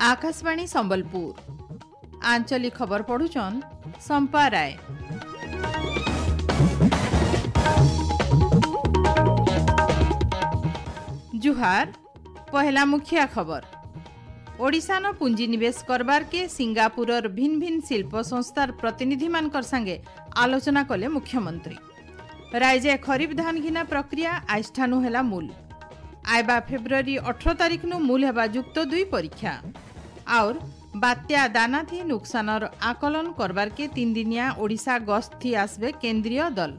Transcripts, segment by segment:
Akashvani Sambalpur आंचलिक खबर पढ़ुछन संपा राय। जुहार। पहला मुखिया खबर, ओडिशान पूंजी निवेश करबार के सिंगापुरर भिन्न भिन्न शिल्प संस्थार प्रतिनिधि मानकर संगे आलोचना कले मुख्यमंत्री। राज्य खरीफ धान घिना प्रक्रिया आइष्ठानु हेला मूल। आयबा फेब्रुआरी 18 तारीख नु मूल हेबा युक्त 2 परीक्षा। और बात्या दाना थी नुकसानर आकलन करबार के 3 दिनिया ओडिशा गस्त थी आसबे केंद्रीय दल।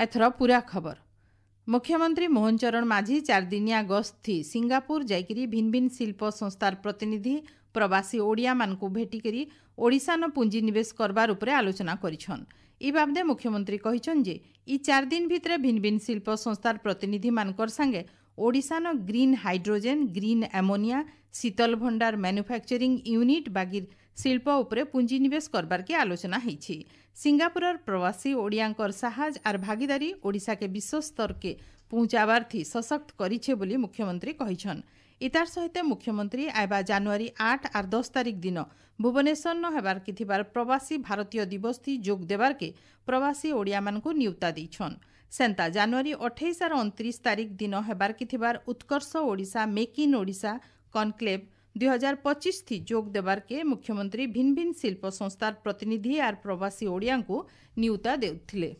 एथर पूरा खबर। मुख्यमंत्री मोहन चरण माझी 4 दिनिया गस्त थी सिंगापुर जाइकरी भिन्न भिन्न शिल्प संस्थार प्रतिनिधि प्रवासी ओडिया मानकु भेटिकरी ओडिशा न पूंजी निवेश करबार उपरे आलोचना करिछन। इ बाबदे मुख्यमंत्री कहिछन जे इ 4 दिन भितरे भिन्न भिन्न शिल्प संस्थार प्रतिनिधि मानकर संगे ओडिशा न ग्रीन हाइड्रोजेन, ग्रीन एमोनिया, शीतल भंडार मैन्युफैक्चरिंग यूनिट बागिर शिल्प उपरे पूंजी निवेश करबार के आलोचना हेछि। सिंगापुरर प्रवासी ओडियांकर साहज are भागीदारी ओडिशा के विश्व स्तर के पहुंचाबार थी सशक्त करिछे बोली मुख्यमंत्री कहिछन। इतार सहित मुख्यमंत्री आयबा जानुआरी 8 और 10 तारीख दिन भुवनेश्वर न हेबार के थिबार प्रवासी भारतीय दिवस थी जोग देबार के प्रवासी ओडिया मानकु नियुक्ता दिछन। सेंता जानुआरी 28 और 29 तारीख दिन हेबार के थिबार Utkarsh Odisha make in Odisha conclave 2025 थी जोग देबार के मुख्यमंत्री भिन्न भिन्न शिल्प संस्थार प्रतिनिधि are प्रवासी ओडियांकु नियुक्ता देउथिले।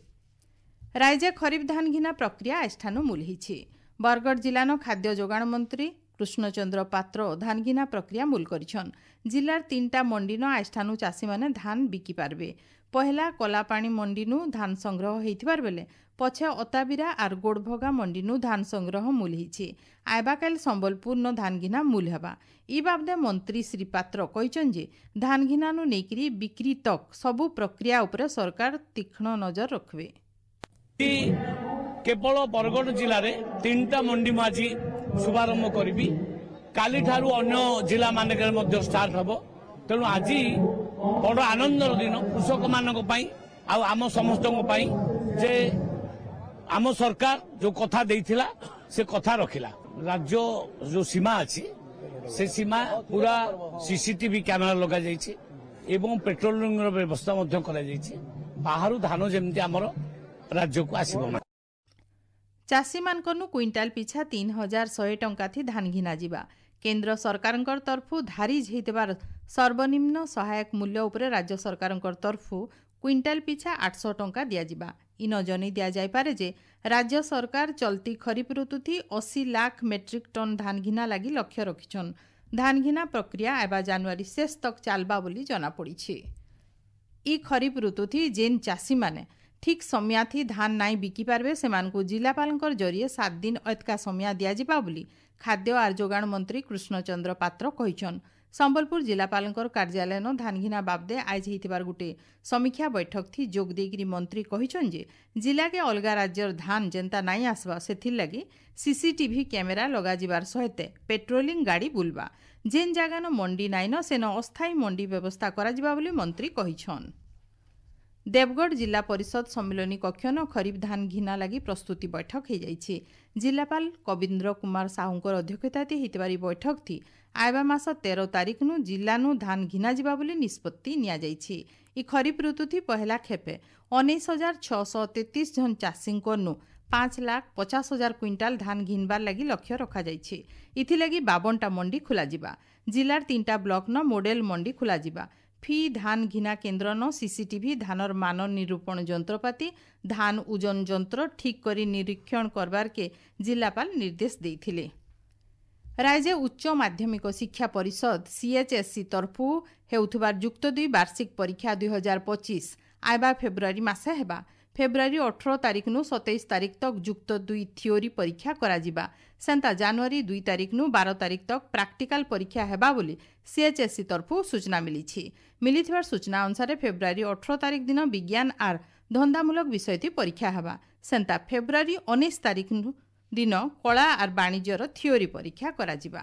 राज्य खरीफ धान घिना प्रक्रिया आइष्ठानु मूल हिछि। बरगढ़ जिलानो खाद्य जोगाण मंत्री कृष्णचंद्र पात्र धान घिना प्रक्रिया मूल करिछन। जिलार 3टा मंडी न आइष्ठानु चाषी माने धान बिकी पारबे। पहला कलापाणी मंडीनु धान संग्रह हेइथिबार बेले पछे अताबिरा are Godbhaga मंडीनु धान संग्रह मूल हिछि। आयबाकाल संबलपुर न धान घिना मूल हेबा। इ बाबदे मंत्री श्री पात्र कहिछन जे धान घिनानु नेकरी बिक्री तक सबु प्रक्रिया उपरे सरकार तीक्ष्ण नजर रखबे। केवल बरगढ़ जिले में 3टा मंडी मुझे आज शुभारंभ करी, काली ठारू अन्य जिला मानकर स्टार्ट हम। तेणु आज बड़ आनंदर दिन कृषक मानक आम समस्त जे आम सरकार जो कथा देइथिला से कथा रखिला। राज्य जो सीमा अछि से सीमा पूरा सीसीटीवी कैमेरा लगा जाइछि एवं पेट्रोलिंग व्यवस्था मध्य करा जाइछि। बाहर धान जेमति आमर राज्य को आसीबो ना। चाषी मानकनु क्विंटाल पिछा 3100 टंका थी धान घिना जिबा। केंद्र सरकारंकर तरफु धारी हेइतबार सर्वनिम्न सहायक मूल्य उपरे राज्य सरकारंकर तरफु क्विंटाल पिछा 800 टंका दियाजिबा। इन जनै दिया जाय पारे जे राज्य सरकार चलती खरीफ ऋतु थी 80 लाख मेट्रिक टन धान घिना लागि लक्ष्य रखिछन। धान घिना प्रक्रिया आबा जानुआरी शेष तक चालबा बोली जना पड़िछि। इ खरीफ ऋतु थी जेन चाषी माने ठीक समय थी धान नाई बिकी पारबे सेमानकु जिलापालंकर जरिए 7 दिन अतका समय दियाजिबा बोली खाद्य are जोगाण मंत्री कृष्णचंद्र पात्र कहिछन। संबलपुर जिलापालंकर कार्यालय न धान घिना बाबदे आइज हेइथिबार गुटे समीक्षा बैठक थी जोग देइकरी मंत्री कहिछन जे जिला के अलगा राज्यर धान जेंता नाई आसबा सेथिर लागि सीसीटीवी कैमेरा लगाजिबार सहित पेट्रोलिंग गाड़ी बुलबा। जेन जागानो मंडी नाइन सेन अस्थायी मंडी व्यवस्था कराजिबा बोली मंत्री कहिछन। देवगढ़ जिला परिषद सम्मिलनी कक्षन खरीफ धान घिना लागि प्रस्तुति बैठक हो। जिलापाल कविन्द्र कुमार साहूंकर अध्यक्षता हेइतिबारी बैठक थी आयबा मास 13 तारीख नु जिलानु धान घिना जिबा बोली निष्पत्ति निया। इ खरीफ ऋतु थी पहला खेपे 19,633 जन चाषींकनु 5,50,000 क्विंटाल धान घिनबार लागि लक्ष्य रखा जाइछि। इथिलागि 52टा मंडी खुला जिबा। जिलार 3टा ब्लक न मॉडल मंडी खुला जिबा। फी धान घिना केंद्र न सीसीटीवी, धानर मान निरूपण यंत्रपाति, धान ओजन यंत्र ठीक करी निरीक्षण करबार के जिलापाल निर्देश देइथिले। राज्य उच्च माध्यमिक शिक्षा परिषद सीएचएससी तरफु हेउथुबार युक्त 2 वार्षिक परीक्षा 2025 आयबा फेब्रुआरी मासे हेबा। फेब्रुआरी 18 तारीख नु 27 तारीख तक युक्त 2 थियोरी परीक्षा कराजिबा। सेंता जानुआरी 2 तारीख नु 12 तारीख तक प्रैक्टिकल परीक्षा हेबा बोली सीएचएससी तरफु सूचना मिलिछि। मिलिथिबार सूचना अनुसार फेब्रुआरी 18 तारीख दिन विज्ञान are धंदामूलक विषय थी परीक्षा हेबा। सेंता फेब्रुआरी 19 तारीख दिन कला are वाणिज्यर थियोरी परीक्षा कराजिबा।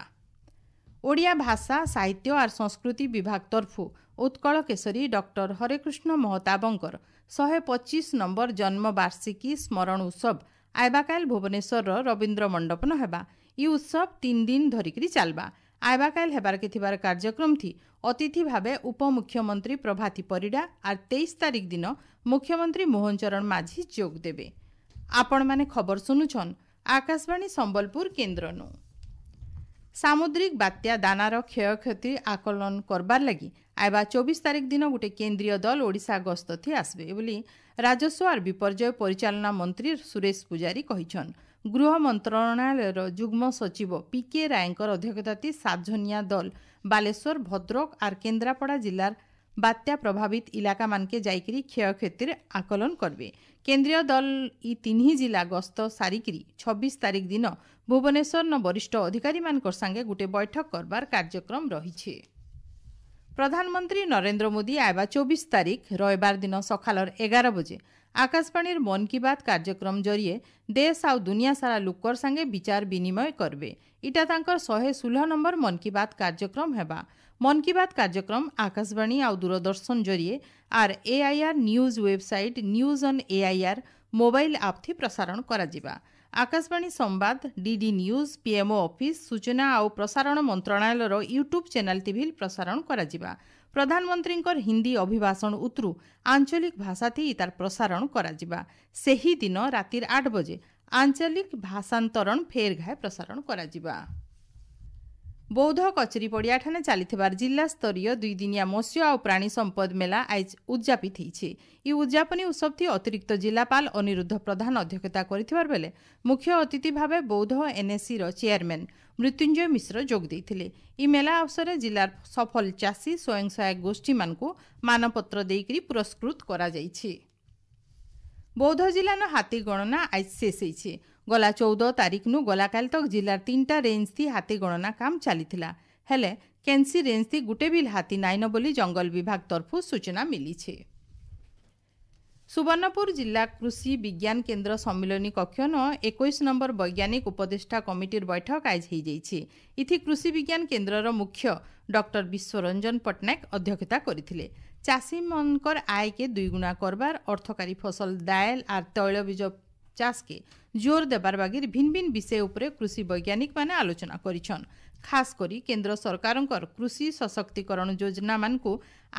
ଓଡ଼ିଆ ଭାଷା, ସାହିତ୍ୟ ଆର୍ ସଂସ୍କୃତି ବିଭାଗ ତରଫୁ ଉତ୍କଳ କେଶରୀ ଡକ୍ଟର ହରେକୃଷ୍ଣ ମହତାବଙ୍କର 125 ନମ୍ବର ଜନ୍ମ ବାର୍ଷିକୀ ସ୍ମରଣ ଉତ୍ସବ ଆଇବାକାଲ ଭୁବନେଶ୍ୱରର ରବୀନ୍ଦ୍ର ମଣ୍ଡପନ ହେବା। ଇ ଉତ୍ସବ 3 ଦିନ ଧରିକିରି ଚାଲବା। ଆଇବାକାଲ ହେବାରକେ ଥିବାର କାର୍ଯ୍ୟକ୍ରମ ଥି ଅତିଥି ଭାବେ ଉପମୁଖ୍ୟମନ୍ତ୍ରୀ ପ୍ରଭାତୀ ପରିଡ଼ା ଆର୍ 23 ତାରିଖ ଦିନ ମୁଖ୍ୟମନ୍ତ୍ରୀ ମୋହନ ଚରଣ ମାଝୀ ଯୋଗ ଦେବେ। ଆପଣମାନେ ଖବର ଶୁଣୁଛନ୍ ଆକାଶବାଣୀ ସମ୍ବଲପୁର କେନ୍ଦ୍ରନୁ। ସାମୁଦ୍ରିକ ବାତ୍ୟା ଦାନାର କ୍ଷୟକ୍ଷତି ଆକଳନ କରବାର୍ ଲାଗି ଆଇବା 24 ତାରିଖ ଦିନ ଗୋଟେ କେନ୍ଦ୍ରୀୟ ଦଳ ଓଡ଼ିଶା ଗସ୍ତ ଥି ଆସିବେ ବୋଲି ରାଜସ୍ୱ ଆର୍ ବିପର୍ଯ୍ୟୟ ପରିଚାଳନା ମନ୍ତ୍ରୀ ସୁରେଶ ପୂଜାରୀ କହିଛନ୍। ଗୃହ ମନ୍ତ୍ରଣାଳୟର ଯୁଗ୍ମ ସଚିବ ପି କେ ରାୟଙ୍କର ଅଧ୍ୟକ୍ଷତାତି 7 ଜଣିଆ ଦଳ ବାଲେଶ୍ୱର, ଭଦ୍ରକ ଆର୍ କେନ୍ଦ୍ରାପଡ଼ା ଜିଲ୍ଲାର ବାତ୍ୟା ପ୍ରଭାବିତ ଇଲାକାମାନକେ ଯାଇକରି କ୍ଷୟକ୍ଷତିର ଆକଳନ କରିବେ। କେନ୍ଦ୍ରୀୟ ଦଳ ଇ ତିନ୍ହି ଜିଲ୍ଲା ଗସ୍ତ ସାରିକିରି 26 ତାରିଖ ଦିନ ଭୁବନେଶ୍ୱରନ ବରିଷ୍ଠ ଅଧିକାରୀମାନଙ୍କର ସାଙ୍ଗେ ଗୋଟେ ବୈଠକ କରବାର କାର୍ଯ୍ୟକ୍ରମ ରହିଛି। ପ୍ରଧାନମନ୍ତ୍ରୀ ନରେନ୍ଦ୍ର ମୋଦି ଆଇବା 24 ତାରିଖ ରବିବାର ଦିନ ସକାଳର 11 ବଜେ ଆକାଶବାଣୀର ମନ୍ କି ବାତ୍ କାର୍ଯ୍ୟକ୍ରମ ଜରିଏ ଦେଶ ଆଉ ଦୁନିଆ ସାରା ଲୋକର ସାଙ୍ଗେ ବିଚାର ବିନିମୟ କରିବେ। ଇଟା ତାଙ୍କର 116 ନମ୍ବର ମନ୍ କି ବାତ୍ କାର୍ଯ୍ୟକ୍ରମ ହେବା। ମନ୍ କି ବାତ୍ କାର୍ଯ୍ୟକ୍ରମ ଆକାଶବାଣୀ ଆଉ ଦୂରଦର୍ଶନ ଜରିଏ ଆର୍ AIR news website, news on AIR mobile app ଥି ପ୍ରସାରଣ କରାଯିବା। ଆକାଶବାଣୀ ସମ୍ବାଦ, ଡିଡି ନ୍ୟୁଜ୍, ପିଏମ୍ଓ ଅଫିସ୍, ସୂଚନା ଆଉ ପ୍ରସାରଣ ମନ୍ତ୍ରଣାଳୟର ୟୁଟ୍ୟୁବ୍ ଚ୍ୟାନେଲ୍ ଟିଭି ପ୍ରସାରଣ କରାଯିବା। ପ୍ରଧାନମନ୍ତ୍ରୀଙ୍କର ହିନ୍ଦୀ ଅଭିଭାଷଣ ଉତରୁ ଆଞ୍ଚଳିକ ଭାଷାଥି ତାର ପ୍ରସାରଣ କରାଯିବା। ସେହି ଦିନ ରାତିର 8 ବଜେ ଆଞ୍ଚଳିକ ଭାଷାନ୍ତରଣ ଫେର ଘାଏ ପ୍ରସାରଣ କରାଯିବା। ବୌଦ୍ଧ କଚେରୀ ପଡ଼ିଆଠାନେ ଚାଲିଥିବାର ଜିଲ୍ଲାସ୍ତରୀୟ 2 ଦିନିଆ ମତ୍ସ୍ୟ ଆଉ ପ୍ରାଣୀ ସମ୍ପଦ ମେଳା ଆଇଜ ଉଦଯାପିତ ହେଇଛି। ଇ ଉଦଯାପନୀ ଉତ୍ସବଥି ଅତିରିକ୍ତ ଜିଲ୍ଲାପାଳ ଅନିରୁଦ୍ଧ ପ୍ରଧାନ ଅଧ୍ୟକ୍ଷତା କରିଥିବାର ବେଲେ ମୁଖ୍ୟ ଅତିଥି ଭାବେ ବୌଦ୍ଧ ଏନ୍ଏସିର ଚେୟାରମ୍ୟାନ୍ ମୃତ୍ୟୁଞ୍ଜୟ ମିଶ୍ର ଯୋଗ ଦେଇଥିଲେ। ଇ ମେଳା ଅବସରରେ ଜିଲ୍ଲାର ସଫଳ ଚାଷୀ ସ୍ୱୟଂ ସହାୟକ ଗୋଷ୍ଠୀମାନଙ୍କୁ ମାନପତ୍ର ଦେଇକରି ପୁରସ୍କୃତ କରାଯାଇଛି। ବୌଦ୍ଧ ଜିଲ୍ଲାର ହାତୀ ଗଣନା ଆଜ ଶେଷ ହେଇଛି। ଗଲା 14 ତାରିଖନୁ ଗଲାକାଲି ତକ ଜିଲ୍ଲାର 3ଟା ରେଞ୍ଜ ଥି ହାତୀ ଗଣନା କାମ ଚାଲିଥିଲା। ହେଲେ କେନ୍ସି ରେଞ୍ଜ ଥି ଗୁଟେ ବିଲ୍ ହାତୀ ନାଇନ ବୋଲି ଜଙ୍ଗଲ ବିଭାଗ ତରଫରୁ ସୂଚନା ମିଳିଛି। ସୁବର୍ଣ୍ଣପୁର ଜିଲ୍ଲା କୃଷି ବିଜ୍ଞାନ କେନ୍ଦ୍ର ସମ୍ମିଳନୀ କକ୍ଷନ 21 ନମ୍ବର ବୈଜ୍ଞାନିକ ଉପଦେଷ୍ଟା କମିଟିର ବୈଠକ ଆଜ ହେଇଯାଇଛି। ଇଥି କୃଷି ବିଜ୍ଞାନ କେନ୍ଦ୍ରର ମୁଖ୍ୟ ଡକ୍ଟର ବିଶ୍ୱରଞ୍ଜନ ପଟ୍ଟନାୟକ ଅଧ୍ୟକ୍ଷତା କରିଥିଲେ। ଚାଷୀମାନଙ୍କର ଆୟକେ ଦୁଇଗୁଣା କରବାର, ଅର୍ଥକାରୀ ଫସଲ ଦାଏଲ ଆର୍ ତୈଳବୀଜ ଚାଷକେ ଜୋର ଦେବାର ବାଗିର ଭିନ୍ନ ଭିନ୍ନ ବିଷୟ ଉପରେ କୃଷି ବୈଜ୍ଞାନିକମାନେ ଆଲୋଚନା କରିଛନ୍। ଖାସ କରି କେନ୍ଦ୍ର ସରକାରଙ୍କର କୃଷି ସଶକ୍ତିକରଣ ଯୋଜନାମାନଙ୍କୁ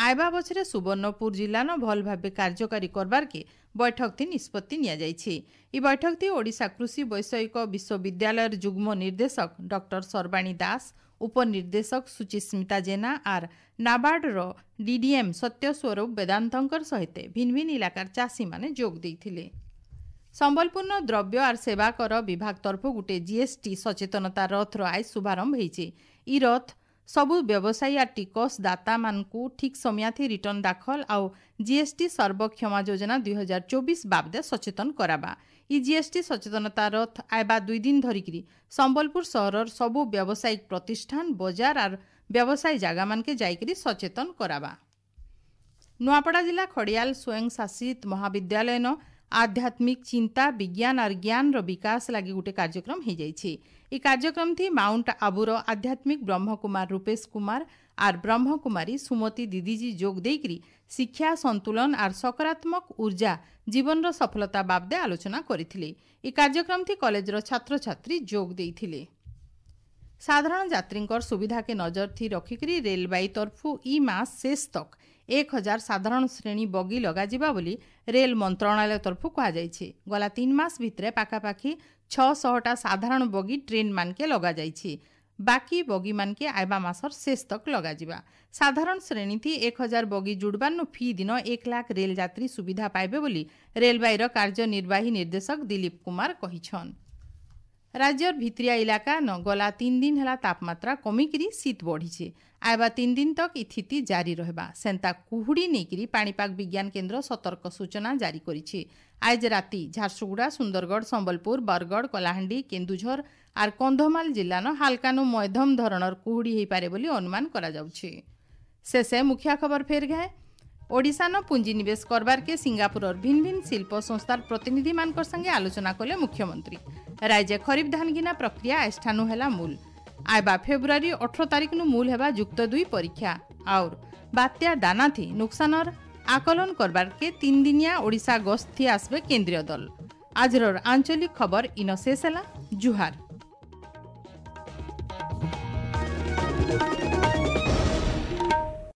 ଆଇବା ବଛରେ ସୁବର୍ଣ୍ଣପୁର ଜିଲ୍ଲାନ ଭଲ ଭାବେ କାର୍ଯ୍ୟକାରୀ କରବାରକେ ବୈଠକଥି ନିଷ୍ପତ୍ତି ନିଆଯାଇଛି। ଇ ବୈଠକଥି ଓଡ଼ିଶା କୃଷି ବୈଷୟିକ ବିଶ୍ୱବିଦ୍ୟାଳୟର ଯୁଗ୍ମ ନିର୍ଦ୍ଦେଶକ ଡକ୍ଟର ସର୍ବାଣୀ ଦାସ, ଉପନିର୍ଦ୍ଦେଶକ ସୁଚିସ୍ମିତା ଜେନା ଆର୍ ନାବାର୍ଡର ଡିଡିଏମ୍ ସତ୍ୟସ୍ୱରୂପ ବେଦାନ୍ତଙ୍କର ସହିତ ଭିନ୍ନ ଭିନ୍ନ ଇଲାକାର ଚାଷୀମାନେ ଯୋଗ ଦେଇଥିଲେ। ସମ୍ବଲପୁରର ଦ୍ରବ୍ୟ ଆର୍ ସେବା କର ବିଭାଗ ତରଫରୁ ଗୋଟେ ଜିଏସ୍ଟି ସଚେତନତା ରଥର ଆଇଜ ଶୁଭାରମ୍ଭ ହେଇଛି। ଇ ରଥ ସବୁ ବ୍ୟବସାୟୀ ଆର୍ ଟିକସ ଦାତାମାନଙ୍କୁ ଠିକ୍ ସମୟାଥି ରିଟର୍ଣ୍ଣ ଦାଖଲ ଆଉ ଜିଏସ୍ଟି ସର୍ବକ୍ଷମା ଯୋଜନା 2024 ବାବଦେ ସଚେତନ କରାବା। ଇ ଜିଏସ୍ଟି ସଚେତନତା ରଥ ଆଇବା 2 ଦିନ ଧରିକିରି ସମ୍ବଲପୁର ସହରର ସବୁ ବ୍ୟବସାୟିକ ପ୍ରତିଷ୍ଠାନ, ବଜାର ଆର୍ ବ୍ୟବସାୟୀ ଜାଗାମାନକେ ଯାଇକିରି ସଚେତନ କରାବା। ନୂଆପଡ଼ା ଜିଲ୍ଲା ଖଡ଼ିଆଲ ସ୍ୱୟଂଶାସିତ ମହାବିଦ୍ୟାଳୟନ ଆଧ୍ୟାତ୍ମିକ ଚିନ୍ତା, ବିଜ୍ଞାନ ଆର୍ ଜ୍ଞାନର ବିକାଶ ଲାଗି ଗୋଟେ କାର୍ଯ୍ୟକ୍ରମ ହେଇଯାଇଛି। ଇ କାର୍ଯ୍ୟକ୍ରମ ଥି ମାଉଣ୍ଟ ଆବୁର ଆଧ୍ୟାତ୍ମିକ ବ୍ରହ୍ମକୁମାର ରୂପେଶ କୁମାର ଆର୍ ବ୍ରହ୍ମକୁମାରୀ ସୁମତୀ ଦିଦିଜୀ ଯୋଗ ଦେଇକରି ଶିକ୍ଷା, ସନ୍ତୁଳନ ଆର୍ ସକାରାତ୍ମକ ଉର୍ଜା ଜୀବନର ସଫଳତା ବାବଦେ ଆଲୋଚନା କରିଥିଲେ। ଇ କାର୍ଯ୍ୟକ୍ରମ ଥି କଲେଜର ଛାତ୍ରଛାତ୍ରୀ ଯୋଗ ଦେଇଥିଲେ। ସାଧାରଣ ଯାତ୍ରୀଙ୍କର ସୁବିଧାକେ ନଜର ଥି ରଖିକରି ରେଲବାଇ ତରଫୁ ଇ ମାସ ଶେଷ ତକ 1000 ସାଧାରଣ ଶ୍ରେଣୀ ବଗି ଲଗାଯିବା ବୋଲି ରେଲ ମନ୍ତ୍ରଣାଳୟ ତରଫରୁ କୁହାଯାଇଛି। ଗଲା 3 ମାସ ଭିତରେ ପାଖାପାଖି 600ଟା ସାଧାରଣ ବଗି ଟ୍ରେନ୍ ମାନକେ ଲଗାଯାଇଛି। ବାକି ବଗି ମାନକେ ଆଇବା ମାସର ଶେଷ ତକ ଲଗାଯିବା। ସାଧାରଣ ଶ୍ରେଣୀ ଥି 1000 ବଗି ଜୁଡ଼ବାର୍ନୁ ଫି ଦିନ 1 ଲାଖ ରେଲ ଯାତ୍ରୀ ସୁବିଧା ପାଇବେ ବୋଲି ରେଲବାଇର କାର୍ଯ୍ୟନିର୍ବାହୀ ନିର୍ଦ୍ଦେଶକ ଦିଲୀପ କୁମାର କହିଛନ୍। ରାଜ୍ୟର ଭିତରିଆ ଇଲାକା ନ ଗଲା 3 ଦିନ ହେଲା ତାପମାତ୍ରା କମିକିରି ଶୀତ ବଢ଼ିছে। ଆଇବା 3 ଦିନ ତକ ଇଥିତି ଜାରି ରହିବା। ସେନ୍ତା କୁହୁଡ଼ି ନେଇକିରି ପାଣିପାଗ ବିଜ୍ଞାନ କେନ୍ଦ୍ର ସତର୍କ ସୂଚନା ଜାରି କରିଛି। ଆଜ ରାତି ଝାରସୁଗୁଡ଼ା, ସୁନ୍ଦରଗଡ଼, ସମ୍ବଲପୁର, ବରଗଡ଼, କଳାହାଣ୍ଡି, କେନ୍ଦୁଝର ଆର୍ କନ୍ଧମାଳ ଜିଲ୍ଲାନ ହାଲକାନୁ ମଧ୍ୟମ ଧରଣର କୁହୁଡ଼ି ହେଇପାରେ ବୋଲି ଅନୁମାନ କରାଯାଉଛି। ଶେଷେ ମୁଖିଆ ଖବର ଫେର ଘାଏ। ଓଡ଼ିଶାନ ପୁଞ୍ଜିନିବେଶ କରବାରକେ ସିଙ୍ଗାପୁରର ଭିନ୍ନ ଭିନ୍ନ ଶିଳ୍ପ ସଂସ୍ଥାର ପ୍ରତିନିଧିମାନଙ୍କର ସାଙ୍ଗେ ଆଲୋଚନା କଲେ ମୁଖ୍ୟମନ୍ତ୍ରୀ। ରାଜ୍ୟ ଖରିଫ ଧାନ ଘିନା ପ୍ରକ୍ରିୟା ଏଠାନୁ ହେଲା ମୂଲ। ଆଇବା ଫେବୃଆରୀ 18 ତାରିଖନୁ ମୂଲ ହେବା ଯୁକ୍ତ 2 ପରୀକ୍ଷା। ଆଉର୍ ବାତ୍ୟା ଦାନାଥି ନୁକସାନର ଆକଲନ କରବାରକେ 3 ଦିନିଆ ଓଡ଼ିଶା ଗସ୍ତି ଆସିବେ କେନ୍ଦ୍ରୀୟ ଦଳ। ଆଜିର ଆଞ୍ଚଳିକ ଖବର ଇନ ଶେଷ ହେଲା। ଜୁହାର।